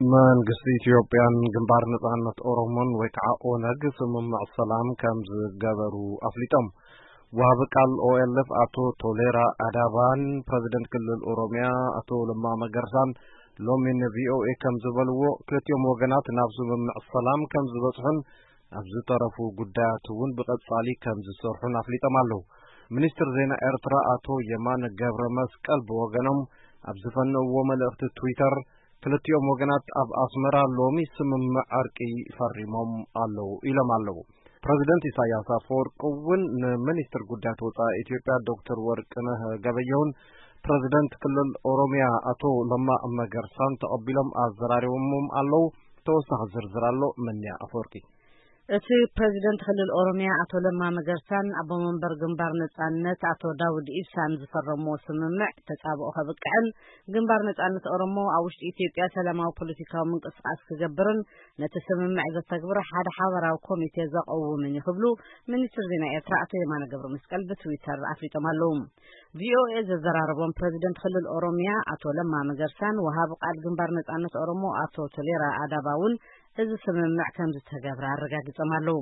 መንግስቲ ኢትዮጵያን ግንባር ነጻነት ኦሮሞን ወይ ከዓ ኦነግ ስምምዕ ሰላም ከም ዝገበሩ ኣፍሊጦም። ወሃቢ ቃል ኦኤልኤፍ ኣቶ ቶሌራ ኣዳባን ፕረዚደንት ክልል ኦሮሚያ ኣቶ ለማ መገርሳን ሎሚ ንቪኦኤ ከም ዝበልዎ፣ ክልቲኦም ወገናት ናብ ስምምዕ ሰላም ከም ዝበጽሑን ኣብ ዝተረፉ ጉዳያት እውን ብቐጻሊ ከም ዝሰርሑን ኣፍሊጦም ኣለዉ። ሚኒስትር ዜና ኤርትራ ኣቶ የማነ ገብረ መስቀል ብወገኖም ኣብ ዝፈነውዎ መልእኽቲ ትዊተር፣ ክልቲኦም ወገናት ኣብ ኣስመራ ሎሚ ስምምዕ ዕርቂ ፈሪሞም ኣለዉ ኢሎም ኣለዉ። ፕረዚደንት ኢሳያስ ኣፈወርቂ እውን ንሚኒስትር ጉዳያት ወጻኢ ኢትዮጵያ ዶክተር ወርቅነህ ገበየሁን ፕረዚደንት ክልል ኦሮሚያ ኣቶ ለማ መገርሳን ተቐቢሎም ኣዘራሪቦሞም ኣለዉ። ተወሳኺ ዝርዝር ኣሎ። መንያ ኣፈወርቂ። እቲ ፕረዚደንት ክልል ኦሮሚያ ኣቶ ለማ መገርሳን ኣቦ መንበር ግንባር ነጻነት ኣቶ ዳውድ ኢብሳን ዝፈረምዎ ስምምዕ ተጻብኦ ከብቅዕን ግንባር ነጻነት ኦሮሞ ኣብ ውሽጢ ኢትዮጵያ ሰላማዊ ፖለቲካዊ ምንቅስቃስ ክገብርን ነቲ ስምምዕ ዘተግብር ሓደ ሓበራዊ ኮሚቴ ዘቐውምን እዩ ክብሉ ሚኒስትር ዜና ኤርትራ ኣቶ የማነ ገብረ መስቀል ብትዊተር ኣፍሊጦም ኣለዉ። ቪኦኤ ዘዘራረቦም ፕረዚደንት ክልል ኦሮሚያ ኣቶ ለማ መገርሳን ወሃቢ ቃል ግንባር ነጻነት ኦሮሞ ኣቶ ቶሌራ ኣዳባ እውን እዚ ስምምዕ ከም ዝተገብረ ኣረጋጊጾም ኣለዉ።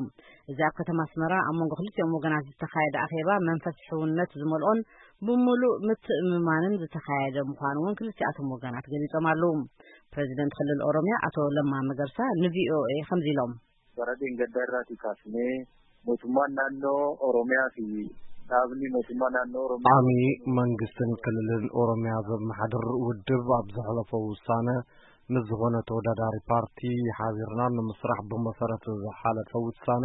እዚ ኣብ ከተማ ኣስመራ ኣብ መንጎ ክልቲኦም ወገናት ዝተኻየደ ኣኼባ መንፈስ ሕውነት ዝመልኦን ብምሉእ ምትእምማንን ዝተኻየደ ምዃኑ እውን ክልቲኣቶም ወገናት ገሊጾም ኣለዉ። ፕረዚደንት ክልል ኦሮሚያ ኣቶ ለማ መገርሳ ንቪኦኤ ከምዚ ኢሎም። Bara dheengaddaa irraatii kaasnee mootummaan naannoo Oromiyaa fi dhaabni mootummaa naannoo Oromiyaa ዓሚ መንግስትን ክልልን ኦሮሚያ ዘመሓድር ውድብ ኣብ ዘሕለፎ ውሳነ ምስ ዝኾነ ተወዳዳሪ ፓርቲ ሓቢርና ንምስራሕ ብመሰረት ዝሓለፈ ውሳነ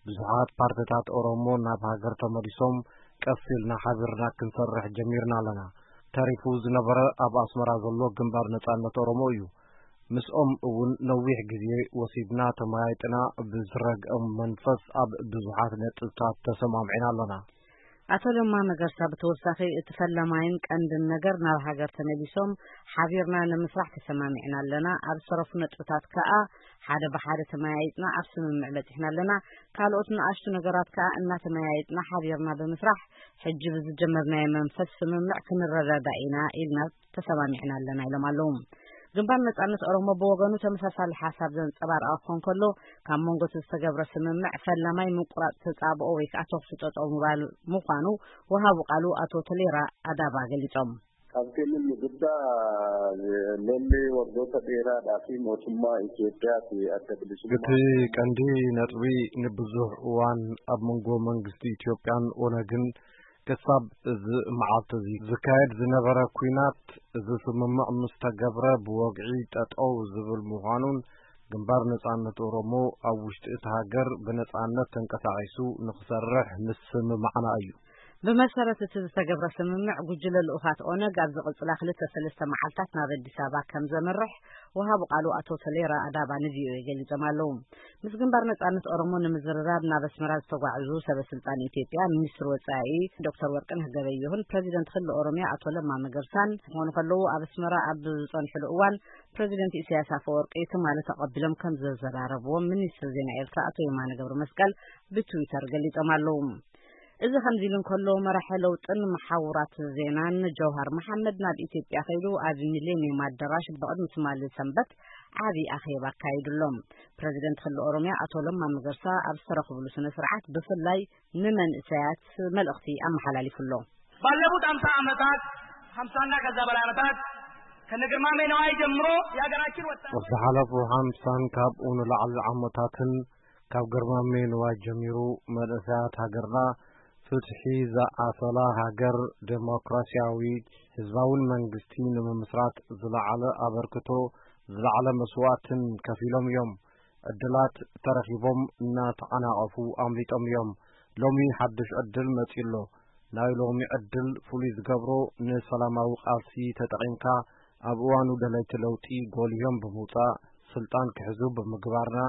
ብዙሓት ፓርትታት ኦሮሞ ናብ ሃገር ተመሊሶም ቀስ ኢልና ሓቢርና ክንሰርሕ ጀሚርና ኣለና። ተሪፉ ዝነበረ ኣብ ኣስመራ ዘሎ ግንባር ነጻነት ኦሮሞ እዩ። ምስኦም እውን ነዊሕ ግዜ ወሲድና ተመያይጥና ብዝረግኦም መንፈስ ኣብ ብዙሓት ነጥብታት ተሰማምዕና ኣለና። ኣቶ ለማ መገርሳ ብተወሳኺ እቲ ፈላማይን ቀንድን ነገር ናብ ሃገር ተመሊሶም ሓቢርና ንምስራሕ ተሰማሚዕና ኣለና። ኣብ ዝተረፉ ነጥብታት ከኣ ሓደ ብሓደ ተመያይጥና ኣብ ስምምዕ በጺሕና ኣለና። ካልኦት ንኣሽቱ ነገራት ከኣ እናተመያይጥና ሓቢርና ብምስራሕ ሕጂ ብዝጀመርናዮ መንፈስ ስምምዕ ክንረዳዳእ ኢና ኢልና ተሰማሚዕና ኣለና ኢሎም ኣለዉ። ግንባር ነጻነት ኦሮሞ ብወገኑ ተመሳሳሊ ሓሳብ ዘንጸባርቐ ክኾን ከሎ ካብ መንጎ እቲ ዝተገብረ ስምምዕ ፈላማይ ምቁራጽ ተጻብኦ ወይ ከዓ ተኹሲ ጠጠው ምባል ምዃኑ ወሃቡ ቃሉ ኣቶ ተሌራ ኣዳባ ገሊጾም። Qabxiin inni guddaa lolli waggoota dheeraadhaa fi mootummaa Itoophiyaa fi adda bilisummaa እቲ ቀንዲ ነጥቢ ንብዙሕ እዋን ኣብ መንጎ መንግስቲ ኢትዮጵያን ኦነግን ክሳብ እዚ መዓልቲ እዚ ዝካየድ ዝነበረ ኲናት፣ እዚ ስምምዕ ምስ ተገብረ ብወግዒ ጠጠው ዝብል ምዃኑን ግንባር ነጻነት ኦሮሞ ኣብ ውሽጢ እታ ሃገር ብነጻነት ተንቀሳቒሱ ንኽሰርሕ ምስምማዕና እዩ። ብመሰረት እቲ ዝተገብረ ስምምዕ፣ ጉጅለ ልኡኻት ኦነግ ኣብ ዝቕጽላ ክልተ ሰለስተ መዓልታት ናብ ኣዲስ ኣበባ ከም ዘምርሕ ወሃቢ ቃሉ ኣቶ ተሌራ ኣዳባ ንቪኦኤ ገሊጾም ኣለዉ። ምስ ግንባር ነጻነት ኦሮሞ ንምዝርራብ ናብ ኣስመራ ዝተጓዕዙ ሰበ ስልጣን ኢትዮጵያ፣ ሚኒስትር ወጻኢ ዶክተር ወርቅነህ ገበየሁን ፕረዚደንት ክልል ኦሮሚያ ኣቶ ለማ መገርሳን ክኾኑ ከለዉ፣ ኣብ ኣስመራ ኣብ ዝጸንሕሉ እዋን ፕረዚደንት ኢሳያስ ኣፈወርቂ ትማሊ ተቐቢሎም ከም ዘዘራረብዎም ሚኒስትር ዜና ኤርትራ ኣቶ የማነ ገብረ መስቀል ብትዊተር ገሊጾም ኣለዉ። እዚ ከምዚ ኢሉ እንከሎ፣ መራሒ ለውጥን መሓውራት ዜናን ጀውሃር መሓመድ ናብ ኢትዮጵያ ከይዱ ኣብ ሚሌኒየም ኣዳራሽ ብቕድሚ ትማሊ ሰንበት ዓቢ ኣኼባ ኣካይዱ ኣሎ። ፕረዚደንት ክልል ኦሮሚያ ኣቶ ለማ መገርሳ ኣብ ዝተረኽብሉ ስነ ስርዓት ብፍላይ ንመንእሰያት መልእኽቲ ኣመሓላሊፉ ኣሎ። ባለፉት ሃምሳ ዓመታት፣ ሃምሳና ከዛ በላይ ዓመታት ከነ ግርማሜ ነዋይ ጀምሮ የሀገራችን ወጣት ኣብ ዝሓለፉ ሓምሳን ካብኡ ንላዕሊ ዓመታትን ካብ ግርማሜ ነዋይ ጀሚሩ መንእሰያት ሃገርና ፍትሒ ዝዓሰላ ሃገር፣ ዴሞክራሲያዊ ህዝባውን መንግስቲ ንምምስራት ዝለዓለ ኣበርክቶ፣ ዝለዓለ መስዋእትን ከፊሎም እዮም። ዕድላት ተረኺቦም እናተዓናቐፉ ኣምሊጦም እዮም። ሎሚ ሓድሽ ዕድል መጺኡ ኣሎ። ናይ ሎሚ ዕድል ፍሉይ ዝገብሮ ንሰላማዊ ቃልሲ ተጠቒምካ ኣብ እዋኑ ደለይቲ ለውጢ ጎሊሆም ብምውጻእ ስልጣን ክሕዙ ብምግባርና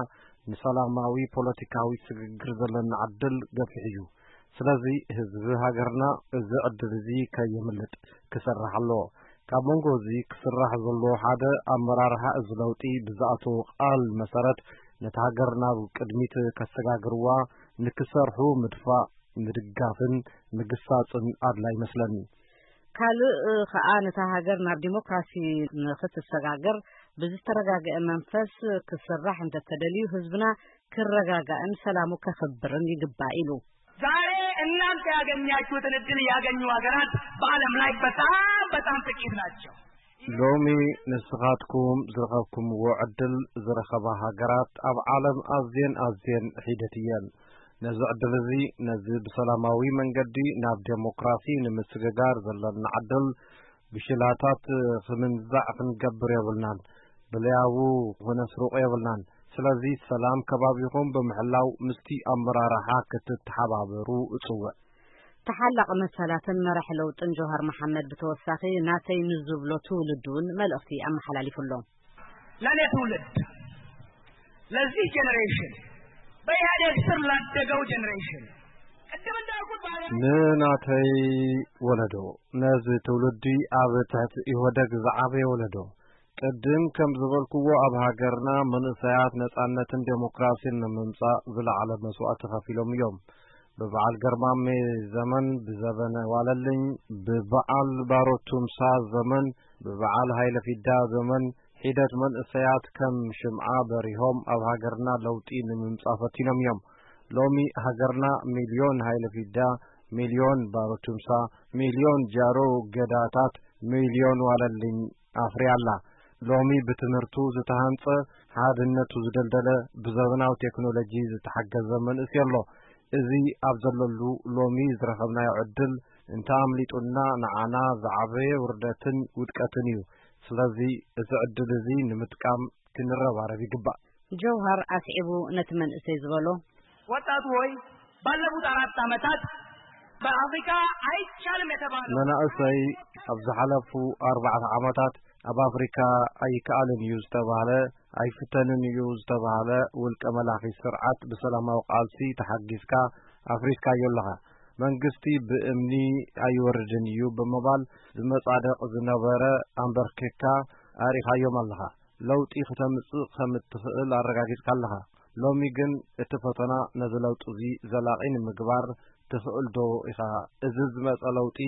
ንሰላማዊ ፖለቲካዊ ስግግር ዘለና ዕድል ገፊሕ እዩ። ስለዚ ህዝቢ ሃገርና እዚ ዕድል እዚ ከየምልጥ ክሰርሕ ኣለዎ። ካብ መንጎ እዚ ክስራሕ ዘለዎ ሓደ ኣመራርሓ እዚ ለውጢ ብዝኣተዎ ቃል መሰረት ነታ ሃገር ናብ ቅድሚት ከሰጋግርዋ ንክሰርሑ ምድፋእ፣ ምድጋፍን ምግሳጽን ኣድላይ ይመስለኒ። ካልእ ኸኣ ነታ ሃገር ናብ ዲሞክራሲ ንኽትሰጋገር ብዝተረጋገአ መንፈስ ክስራሕ እንተተደልዩ ህዝብና ክረጋጋእን ሰላሙ ከኽብርን ይግባእ ኢሉ። ዛሬ እናንተ ያገኛችሁትን እድል ያገኙ ሀገራት በዓለም ላይ በጣም በጣም ጥቂት ናቸው። ሎሚ ንስኻትኩም ዝረኸብኩምዎ ዕድል ዝረኸባ ሃገራት ኣብ ዓለም ኣዝየን ኣዝየን ሒደት እየን። ነዚ ዕድል እዚ፣ ነዚ ብሰላማዊ መንገዲ ናብ ዴሞክራሲ ንምስግጋር ዘለና ዕድል ብሽላታት ክምንዛዕ ክንገብር የብልናን። ብለያቡ ክነስርቕ የብልናን። ስለዚ ሰላም ከባቢኹም ብምሕላው ምስቲ ኣመራርሓ ክትተሓባበሩ እጽውዕ። ተሓላቒ መሰላትን መራሕ ለውጥን ጆሃር መሓመድ ብተወሳኺ ናተይ ንዝብሎ ትውልዲ እውን መልእኽቲ ኣመሓላሊፉ ኣሎ። ለእኔ ትውልድ፣ ለዚህ ጀነሬሽን፣ በኢህአዴግ ስር ላደገው ጀነሬሽን፣ ቅድም እንዳልኩት በሀገር ንናተይ ወለዶ፣ ነዚ ትውልዲ ኣብ ትሕቲ ኢህወደግ ዝዓበየ ወለዶ፣ ቅድም ከም ዝበልኩዎ ኣብ ሃገርና መንእሰያት ነጻነትን ዴሞክራሲን ንምምጻእ ዝለዓለ መስዋእቲ ከፊሎም እዮም። ብበዓል ገርማሜ ዘመን፣ ብዘበነ ዋለልኝ፣ ብበዓል ባሮ ቱምሳ ዘመን፣ ብበዓል ሃይለ ፊዳ ዘመን ሒደት መንእሰያት ከም ሽምዓ በሪሆም ኣብ ሃገርና ለውጢ ንምምጻእ ፈቲኖም እዮም። ሎሚ ሃገርና ሚልዮን ሃይለ ፊዳ፣ ሚልዮን ባሮ ቱምሳ፣ ሚልዮን ጃሮ ገዳታት፣ ሚልዮን ዋለልኝ ኣፍርያ ኣላ። ሎሚ ብትምህርቱ ዝተሃንጸ፣ ሓድነቱ ዝደልደለ፣ ብዘበናዊ ቴክኖሎጂ ዝተሓገዘ መንእሰይ ኣሎ። እዚ ኣብ ዘለሉ ሎሚ ዝረኸብናዮ ዕድል እንተ ኣምሊጡና ንዓና ዝዓበየ ውርደትን ውድቀትን እዩ። ስለዚ እዚ ዕድል እዚ ንምጥቃም ክንረባረብ ይግባእ። ጀውሃር ኣስዒቡ ነቲ መንእሰይ ዝበሎ፣ ወጣቱ ሆይ፣ ባለፉት አራት ዓመታት በአፍሪካ አይቻልም የተባለው መናእሰይ፣ ኣብ ዝሓለፉ ኣርባዕተ ዓመታት ኣብ ኣፍሪካ ኣይከኣልን እዩ ዝተባህለ፣ ኣይፍተንን እዩ ዝተባህለ ውልቀ መላኺ ስርዓት ብሰላማዊ ቃልሲ ተሓጊዝካ ኣፍሪስካዮ ኣለኻ። መንግስቲ ብእምኒ ኣይወርድን እዩ ብምባል ዝመጻደቕ ዝነበረ ኣንበርኪካ ኣርኢኻዮም ኣለኻ። ለውጢ ክተምጽእ ከም እትኽእል ኣረጋጊጽካ ኣለኻ። ሎሚ ግን እቲ ፈተና ነዚ ለውጢ እዚ ዘላቒ ንምግባር ትኽእል ዶ ኢኻ? እዚ ዝመጸ ለውጢ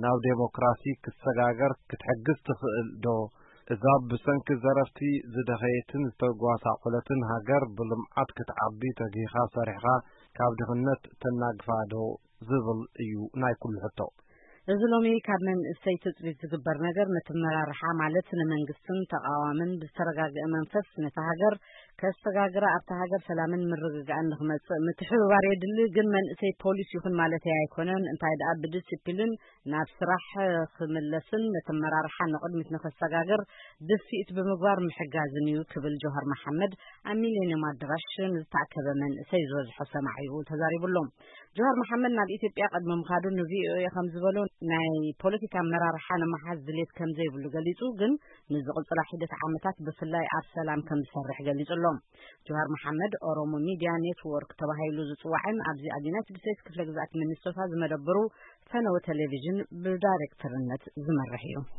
ናብ ዴሞክራሲ ክሰጋገር ክትሕግዝ ትኽእል ዶ? እዛ ብሰንኪ ዘረፍቲ ዝደኸየትን ዝተጓሳቆለትን ሃገር ብልምዓት ክትዓቢ ተጊኻ ሰሪሕኻ ካብ ድኽነት ተናግፋ ዶ ዝብል እዩ ናይ ኩሉ ሕቶ። እዚ ሎሚ ካብ መንእሰይ ትጽቢት ዝግበር ነገር ነቲ መራርሓ ማለት ንመንግስትን ተቓዋምን ብዝተረጋገአ መንፈስ ነታ ሃገር ከሰጋግራ ኣብታ ሃገር ሰላምን ምርግጋእን ንኽመጽእ ምትሕብባር የድሊ። ግን መንእሰይ ፖሊስ ይኹን ማለተይ ኣይኮነን። እንታይ ደኣ ብዲሲፕሊን ናብ ስራሕ ክምለስን ነቲ ኣመራርሓ ንቕድሚት ንኸሰጋግር ድፍኢት ብምግባር ምሕጋዝን እዩ ክብል ጆሃር መሓመድ ኣብ ሚሌኒየም ኣዳራሽ ንዝተኣከበ መንእሰይ ዝበዝሖ ሰማዒኡ ተዛሪቡ ኣሎ። ጆሃር መሓመድ ናብ ኢትዮጵያ ቅድሚ ምኻዱ ን ቪ ኦ ኤ ከም ዝበሎ ናይ ፖለቲካ ኣመራርሓ ንምሓዝ ድሌት ከም ዘይብሉ ገሊጹ፣ ግን ንዝቕጽላ ሒደት ዓመታት ብፍላይ ኣብ ሰላም ከም ዝሰርሕ ገሊጹ ኣሎ። ጆሃር መሓመድ ኦሮሞ ሚድያ ኔትወርክ ተባሂሉ ዝጽዋዕን ኣብዚ ኣብ ዩናይትድ ስቴትስ ክፍለ ግዝኣት ሚኒሶታ ዝመደብሩ ፈነወ ቴሌቪዥን ብዳይሬክተርነት ዝመርሕ እዩ።